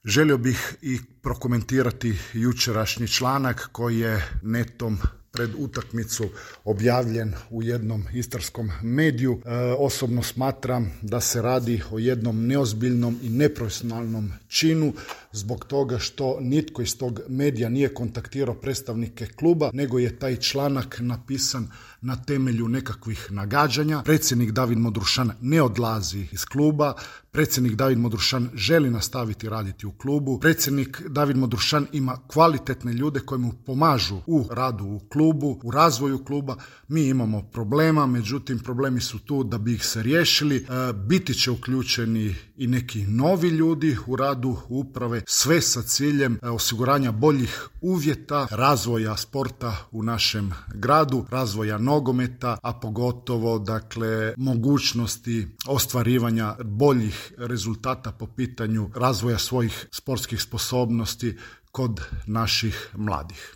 Želio bih i prokomentirati jučerašnji članak koji je netom pred utakmicu objavljen u jednom istarskom mediju. Osobno smatram da se radi o jednom neozbiljnom i neprofesionalnom činu zbog toga što nitko iz tog medija nije kontaktirao predstavnike kluba, nego je taj članak napisan na temelju nekakvih nagađanja. Predsjednik David Modrušan ne odlazi iz kluba, predsjednik David Modrušan želi nastaviti raditi u klubu, predsjednik David Modrušan ima kvalitetne ljude koji mu pomažu u radu u klubu, u razvoju kluba. Mi imamo problema, međutim problemi su tu da bi ih se riješili. Biti će uključeni i neki novi ljudi u radu uprave, sve sa ciljem osiguranja boljih uvjeta, razvoja sporta u našem gradu, razvoja nogometa, a pogotovo mogućnosti ostvarivanja boljih rezultata po pitanju razvoja svojih sportskih sposobnosti kod naših mladih.